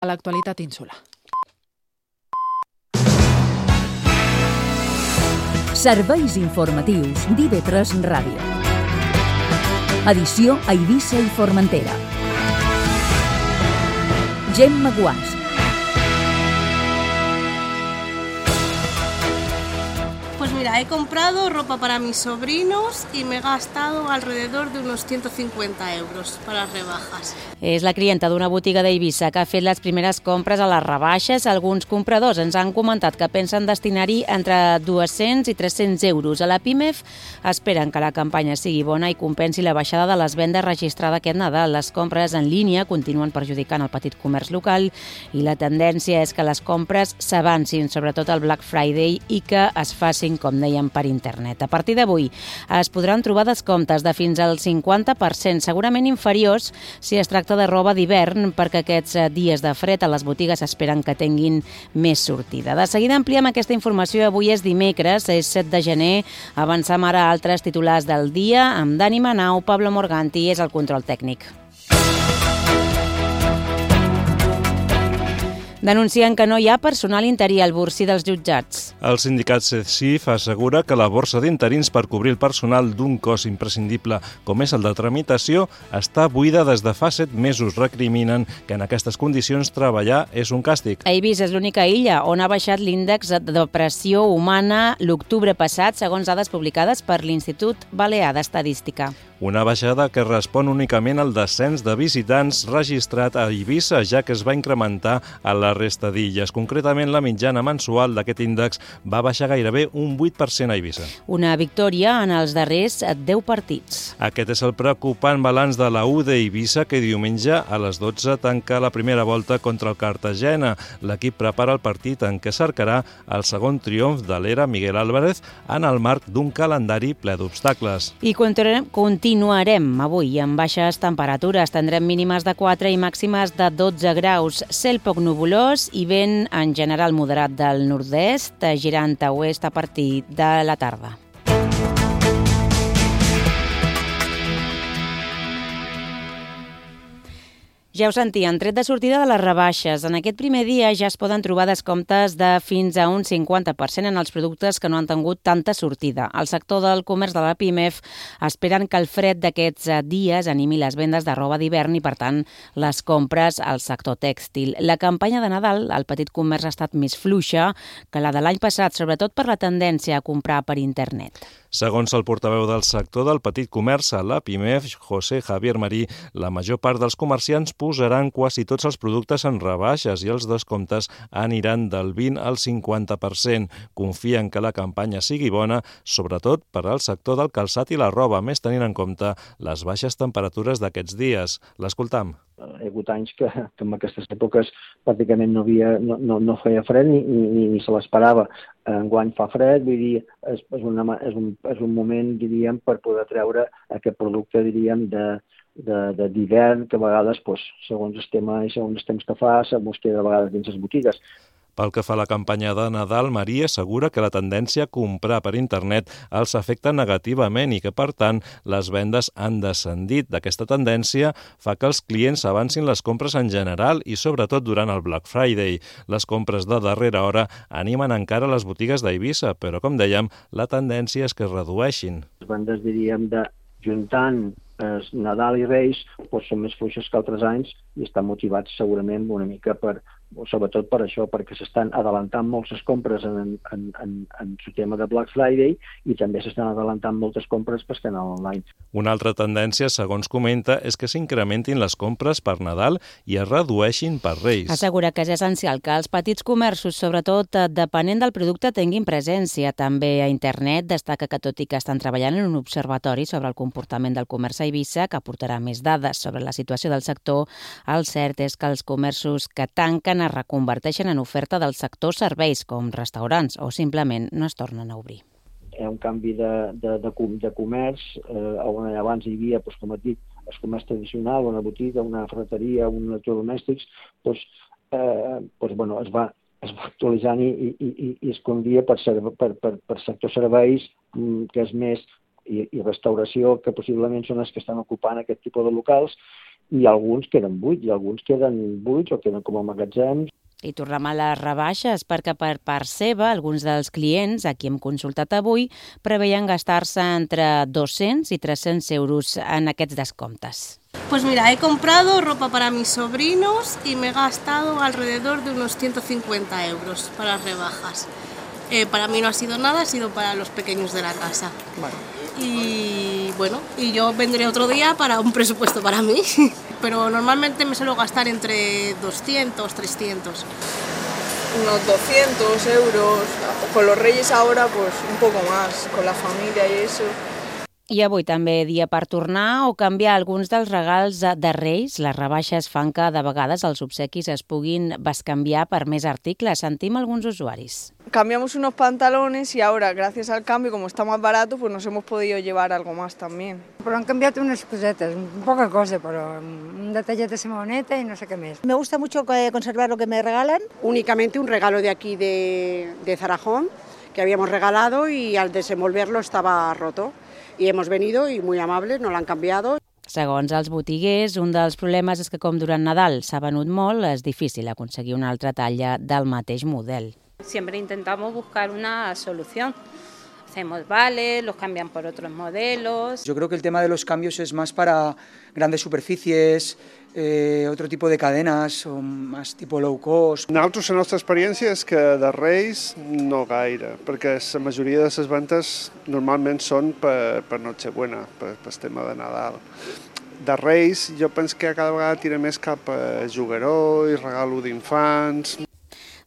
a l'actualitat insular. Serveis informatius d'IV3 Ràdio. Edició a Eivissa i Formentera. Gemma Guàs. Pues mira, he comprado ropa para mis sobrinos y me he gastado alrededor de unos 150 euros para las rebajas. És la clienta d'una botiga d'Eivissa que ha fet les primeres compres a les rebaixes. Alguns compradors ens han comentat que pensen destinar-hi entre 200 i 300 euros. A la PIMEF esperen que la campanya sigui bona i compensi la baixada de les vendes registrada aquest Nadal. Les compres en línia continuen perjudicant el petit comerç local i la tendència és que les compres s'avancin, sobretot el Black Friday, i que es facin, com dèiem, per internet. A partir d'avui es podran trobar descomptes de fins al 50%, segurament inferiors si es tracta de roba d'hivern, perquè aquests dies de fred a les botigues esperen que tinguin més sortida. De seguida ampliem aquesta informació. Avui és dimecres, és 7 de gener. Avancem ara a altres titulars del dia amb Dani Manau. Pablo Morganti és el control tècnic. Denuncien que no hi ha personal interí al Bursi dels jutjats. El sindicat CECIF assegura que la borsa d'interins per cobrir el personal d'un cos imprescindible com és el de tramitació està buida des de fa 7 mesos. Recriminen que en aquestes condicions treballar és un càstig. Eivissa és l'única illa on ha baixat l'índex de depressió humana l'octubre passat, segons dades publicades per l'Institut Balear d'Estadística. Una baixada que respon únicament al descens de visitants registrat a Eivissa, ja que es va incrementar a la resta d'illes. Concretament, la mitjana mensual d'aquest índex va baixar gairebé un 8% a Eivissa. Una victòria en els darrers 10 partits. Aquest és el preocupant balanç de la U d'Eivissa, que diumenge a les 12 tanca la primera volta contra el Cartagena. L'equip prepara el partit en què cercarà el segon triomf de l'era Miguel Álvarez en el marc d'un calendari ple d'obstacles. I continuarem avui amb baixes temperatures. Tindrem mínimes de 4 i màximes de 12 graus. Cel poc nuvolós i vent en general moderat del nord-est, girant a oest a partir de la tarda. Ja ho sentien, tret de sortida de les rebaixes. En aquest primer dia ja es poden trobar descomptes de fins a un 50% en els productes que no han tingut tanta sortida. El sector del comerç de la PIMEF esperen que el fred d'aquests dies animi les vendes de roba d'hivern i, per tant, les compres al sector tèxtil. La campanya de Nadal al petit comerç ha estat més fluixa que la de l'any passat, sobretot per la tendència a comprar per internet. Segons el portaveu del sector del petit comerç a la PIMEF, José Javier Marí, la major part dels comerciants posaran quasi tots els productes en rebaixes i els descomptes aniran del 20 al 50%. Confien que la campanya sigui bona, sobretot per al sector del calçat i la roba, més tenint en compte les baixes temperatures d'aquests dies. L'escoltam. Hi ha hagut anys que en aquestes èpoques pràcticament no feia fred ni se l'esperava. Enguany fa fred, vull dir, és un moment, diríem, per poder treure aquest producte, diríem, d'hivern, que a vegades, segons el tema i segons els temps que fa, se busca de vegades dins les botigues. Pel que fa a la campanya de Nadal, Maria assegura que la tendència a comprar per internet els afecta negativament i que, per tant, les vendes han descendit. D'aquesta tendència fa que els clients avancin les compres en general i, sobretot, durant el Black Friday. Les compres de darrera hora animen encara les botigues d'Eivissa, però, com dèiem, la tendència és que es redueixin. Les vendes, diríem, juntant Nadal i Reis són més fluixes que altres anys i estan motivats segurament una mica sobretot per això, perquè s'estan adelantant moltes compres en el tema de Black Friday i també s'estan adelantant moltes compres per canal online. Una altra tendència, segons comenta, és que s'incrementin les compres per Nadal i es redueixin per Reis. Assegura que és essencial que els petits comerços, sobretot depenent del producte, tinguin presència. També a internet destaca que, tot i que estan treballant en un observatori sobre el comportament del comerç a Eivissa, que aportarà més dades sobre la situació del sector, el cert és que els comerços que tanquen es reconverteixen en oferta del sector serveis, com restaurants, o simplement no es tornen a obrir. Hi ha un canvi de comerç, on abans hi havia, com et dic, el comerç tradicional, una botiga, una ferreteria, un electrodomèstics, es va actualitzant i es convia per sector serveis, que és més, i restauració, que possiblement són els que estan ocupant aquest tipus de locals, i alguns queden buits, i alguns queden buits o queden com a magatzems. I tornem a les rebaixes, perquè per part seva, alguns dels clients, a qui hem consultat avui, preveien gastar-se entre 200 i 300 euros en aquests descomptes. Pues mira, he comprado ropa para mis sobrinos y me he gastado alrededor de unos 150 euros para rebajas. Para mí no ha sido nada, ha sido para los pequeños de la casa. Bueno. Y bueno, y yo vendré otro día para un presupuesto para mí, pero normalmente me suelo gastar entre 200, 300. Unos 200 euros, con los Reyes ahora pues un poco más, con la familia y eso. I avui també dia per tornar o canviar alguns dels regals de Reis. Les rebaixes fan que de vegades els obsequis es puguin bescanviar per més articles. Sentim alguns usuaris. Cambiamos unos pantalones y ahora, gracias al cambio, como está más barato, pues nos hemos podido llevar algo más también. Però han canviat unes cosetes, poca cosa, però un detallet de Simoneta y no sé qué más. Me gusta mucho conservar lo que me regalan. Únicamente un regalo de aquí de Zarajón, que habíamos regalado y al desenvolverlo estaba roto. I hemos venido i muy amables, no l'han canviado. Segons els botiguers, un dels problemes és que com durant Nadal s'ha venut molt, és difícil aconseguir una altra talla del mateix model. Siempre intentamos buscar una solución. Hacemos vales, los cambian por otros modelos. Yo creo que el tema de los cambios es más para grandes superficies, otro tipo de cadenas, o más tipo low cost. Nosaltres, la nostra experiència és que de Reis no gaire, perquè la majoria de les ventes normalment són per Nochebuena, per tema de Nadal. De Reis jo penso que cada vegada tira més cap a jugaró i regalo d'infants.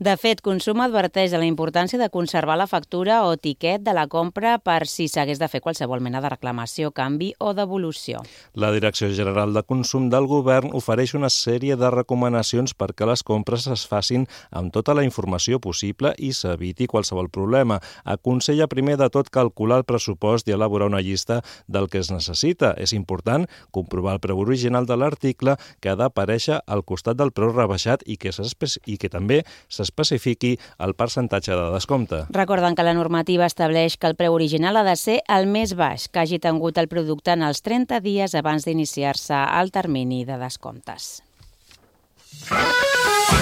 De fet, Consum adverteix de la importància de conservar la factura o tiquet de la compra per si s'hagués de fer qualsevol mena de reclamació, canvi o devolució. La Direcció General de Consum del Govern ofereix una sèrie de recomanacions perquè les compres es facin amb tota la informació possible i s'eviti qualsevol problema. Aconsella primer de tot calcular el pressupost i elaborar una llista del que es necessita. És important comprovar el preu original de l'article que ha d'aparèixer al costat del preu rebaixat i que també s'especifiqui el percentatge de descompte. Recorden que la normativa estableix que el preu original ha de ser el més baix que hagi tingut el producte en els 30 dies abans d'iniciar-se el termini de descomptes.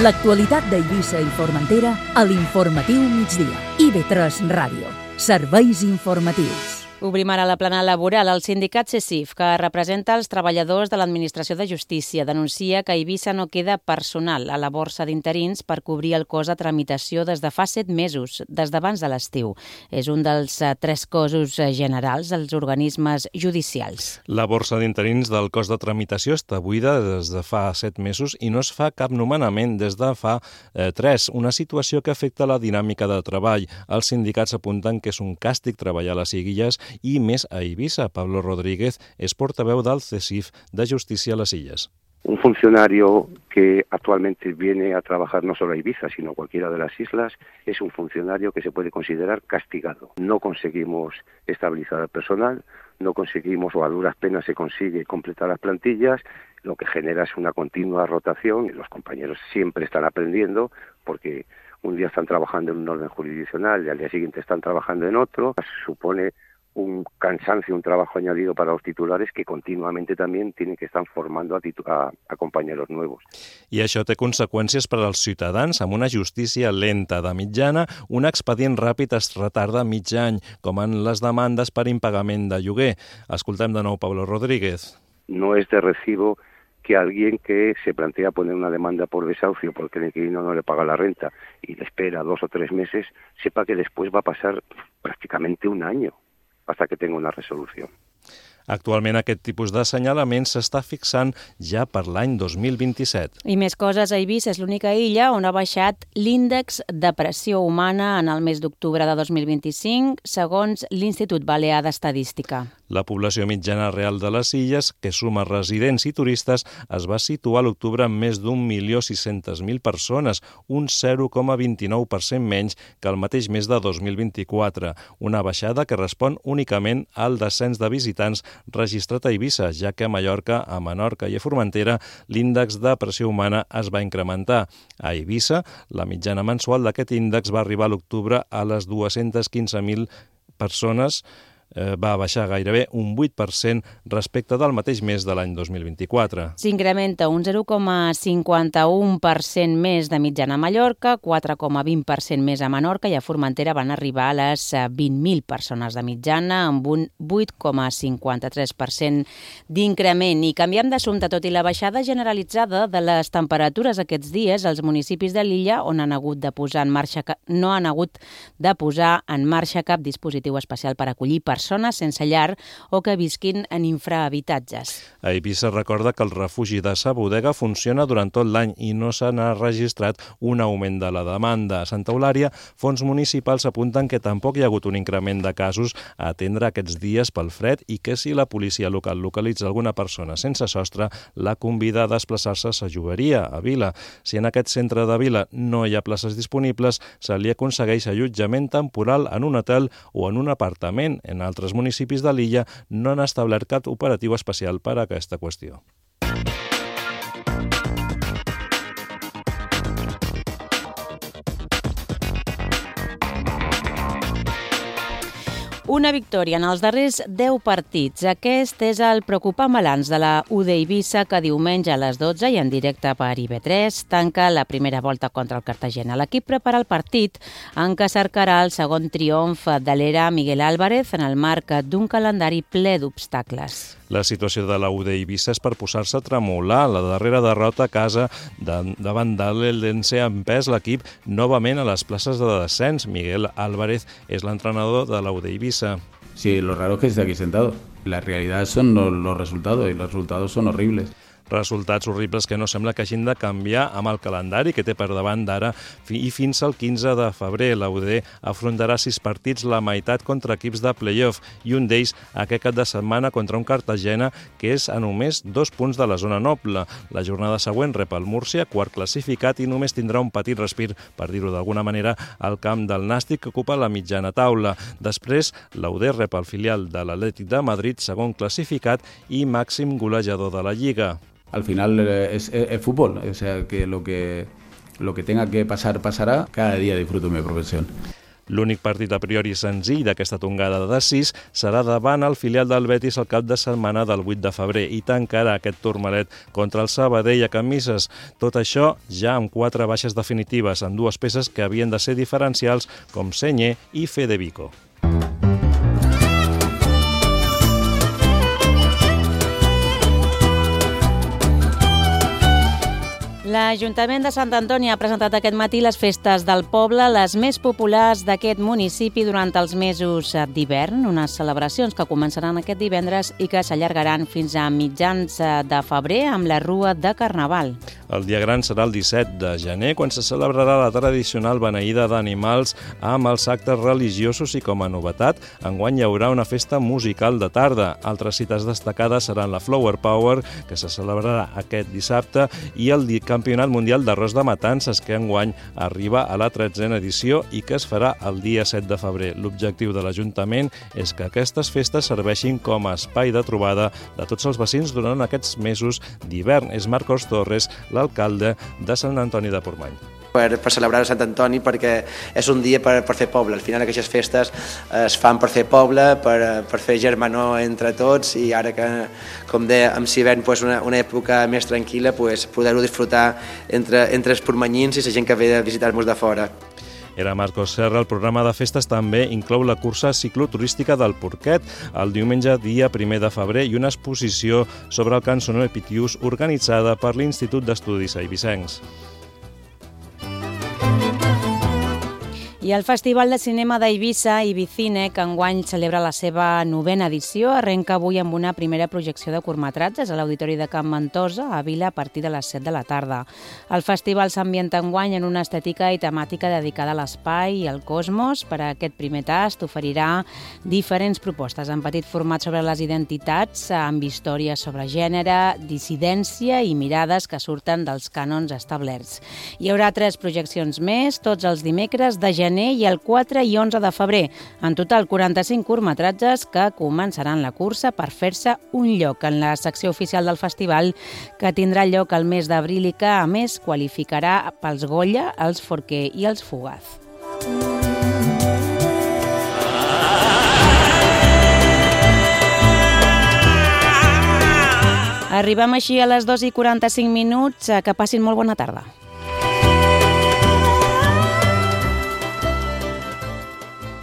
L'actualitat d'Eivissa i Formentera a l'Informatiu Migdia. IB3 Ràdio. Serveis informatius. Obrim ara la plana laboral. El sindicat CECIF, que representa els treballadors de l'Administració de Justícia, denuncia que a Eivissa no queda personal a la borsa d'interins per cobrir el cost de tramitació des de fa 7 mesos, des d'abans de l'estiu. És un dels 3 cossos generals dels organismes judicials. La borsa d'interins del cost de tramitació està buida des de fa 7 mesos i no es fa cap nomenament des de fa 3, una situació que afecta la dinàmica de treball. Els sindicats apunten que és un càstig treballar a les Illes i més a Eivissa. Pablo Rodríguez és portaveu del CECIF de Justícia a les Illes. Un funcionario que actualmente viene a trabajar no solo a Ibiza, sino a cualquiera de las islas, es un funcionario que se puede considerar castigado. No conseguimos estabilizar el personal, no conseguimos o a duras penas se consigue completar las plantillas, lo que genera es una continua rotación y los compañeros siempre están aprendiendo porque un día están trabajando en un orden jurisdiccional y al día siguiente están trabajando en otro. Supone un cansancio, un trabajo añadido para los titulares que continuamente también tienen que estar formando a compañeros nuevos. I això té conseqüències per als ciutadans. Amb una justícia lenta de mitjana, un expedient ràpid es retarda mig any, com en les demandes per impagament de lloguer. Escoltem de nou Pablo Rodríguez. No es de recibo que alguien que se plantea poner una demanda por desahucio porque el inquilino no le paga la renta y le espera 2 o 3 meses, sepa que después va a pasar prácticamente un año hasta que tenga una resolució. Actualment aquest tipus d'assenyalament s'està fixant ja per l'any 2027. I més coses, Eivissa és l'única illa on ha baixat l'índex de pressió humana en el mes d'octubre de 2025, segons l'Institut Balear d'Estadística. La població mitjana real de les illes, que suma residents i turistes, es va situar a l'octubre amb més d'1.600.000 persones, un 0,29% menys que el mateix mes de 2024, una baixada que respon únicament al descens de visitants registrat a Eivissa, ja que a Mallorca, a Menorca i a Formentera l'índex de pressió humana es va incrementar. A Eivissa, la mitjana mensual d'aquest índex va arribar a l'octubre a les 215.000 persones, va baixar gairebé un 8% respecte del mateix mes de l'any 2024. S'incrementa un 0,51% més de mitjana a Mallorca, 4,20% més a Menorca i a Formentera van arribar a les 20.000 persones de mitjana amb un 8,53% d'increment. I canviem d'assumpte, tot i la baixada generalitzada de les temperatures aquests dies, els municipis de l'illa on no han hagut de posar en marxa cap dispositiu especial per acollir persones sense llar o que visquin en infrahabitatges. A Eivissa recorda que el refugi de Sa Bodega funciona durant tot l'any i no se n'ha registrat un augment de la demanda. A Santa Eulària, fons municipals apunten que tampoc hi ha hagut un increment de casos a atendre aquests dies pel fred i que si la policia local localitza alguna persona sense sostre, la convida a desplaçar-se a Sa Joveria, a Vila. Si en aquest centre de Vila no hi ha places disponibles, se li aconsegueix allotjament temporal en un hotel o en un apartament. En altres municipis de l'illa no han establert cap operatiu especial per a aquesta qüestió. Una victòria en els darrers 10 partits. Aquest és el preocupant balanç de la UD Eivissa que diumenge a les 12 i en directe per IB3 tanca la primera volta contra el Cartagena. L'equip prepara el partit en què cercarà el segon triomf de l'era Miguel Álvarez en el marc d'un calendari ple d'obstacles. La situació de la UD Eivissa és per posar-se a tremolar. La darrera derrota a casa davant de l'Eldense ha empès l'equip novament a les places de descens. Miguel Álvarez és l'entrenador de la UD Eivissa. Sí, lo raro es que esté aquí sentado. La realidad son los resultados y los resultados son horribles. Resultats horribles que no sembla que hagin de canviar amb el calendari que té per davant d'ara i fins al 15 de febrer. La UD afrontarà 6 partits, la meitat contra equips de play-off i un d'ells aquest cap de setmana contra un Cartagena que és a només 2 punts de la zona noble. La jornada següent rep el Múrcia, quart classificat, i només tindrà un petit respir, per dir-ho d'alguna manera, al camp del Nàstic que ocupa la mitjana taula. Després, la UD rep el filial de l'Atlètic de Madrid, segon classificat i màxim golejador de la Lliga. Al final es fútbol, o sea que lo que tenga que pasar, pasará. Cada día disfruto mi profesión. L'únic partit a priori senzill d'aquesta tongada de 6 serà davant el filial del Betis el cap de setmana del 8 de febrer i tancarà aquest turmalet contra el Sabadell a Camises. Tot això ja amb 4 baixes definitives, amb 2 peces que havien de ser diferencials com Senye i Federico. L'Ajuntament de Sant Antoni ha presentat aquest matí les festes del poble, les més populars d'aquest municipi durant els mesos d'hivern, unes celebracions que començaran aquest divendres i que s'allargaran fins a mitjans de febrer amb la Rua de Carnaval. El dia gran serà el 17 de gener, quan se celebrarà la tradicional beneïda d'animals amb els actes religiosos i com a novetat, enguany hi haurà una festa musical de tarda. Altres cites destacades seran la Flower Power, que se celebrarà aquest dissabte, i el Campionat Mundial d'Arròs de Matances, que enguany arriba a la 13a edició i que es farà el dia 7 de febrer. L'objectiu de l'Ajuntament és que aquestes festes serveixin com a espai de trobada de tots els vecins durant aquests mesos d'hivern. És Marcos Torres, l'alcalde de Sant Antoni de Portmany. Per celebrar Sant Antoni, perquè és un dia per fer poble. Al final aquestes festes es fan per fer poble, per fer germanor entre tots, i ara que, com deia, amb l'hivern una època més tranquil·la, poder-ho disfrutar entre els portmanyins i la gent que ve a visitar-nos de fora. Era Marcos Serra. El programa de festes també inclou la cursa cicloturística del Porquet el diumenge dia 1 de febrer i una exposició sobre el cançoner Pitiús organitzada per l'Institut d'Estudis Eivissencs. I el Festival de Cinema d'Eivissa, Ibicine, que enguany celebra la seva 9a edició, arrenca avui amb una primera projecció de curtmetratges a l'Auditori de Can Ventosa, a Vila, a partir de les 7 de la tarda. El festival s'ambienta enguany en una estètica i temàtica dedicada a l'espai i al cosmos. Per a aquest primer tast oferirà diferents propostes en petit format sobre les identitats, amb històries sobre gènere, dissidència i mirades que surten dels cànons establerts. Hi haurà 3 projeccions més, tots els dimecres de gener i el 4 i 11 de febrer. En total, 45 curtmetratges que començaran la cursa per fer-se un lloc en la secció oficial del festival, que tindrà lloc al mes d'abril i que, a més, qualificarà pels Goya, els Forquer i els Fugaz. Arribem així a les 2:45. Que passin molt bona tarda.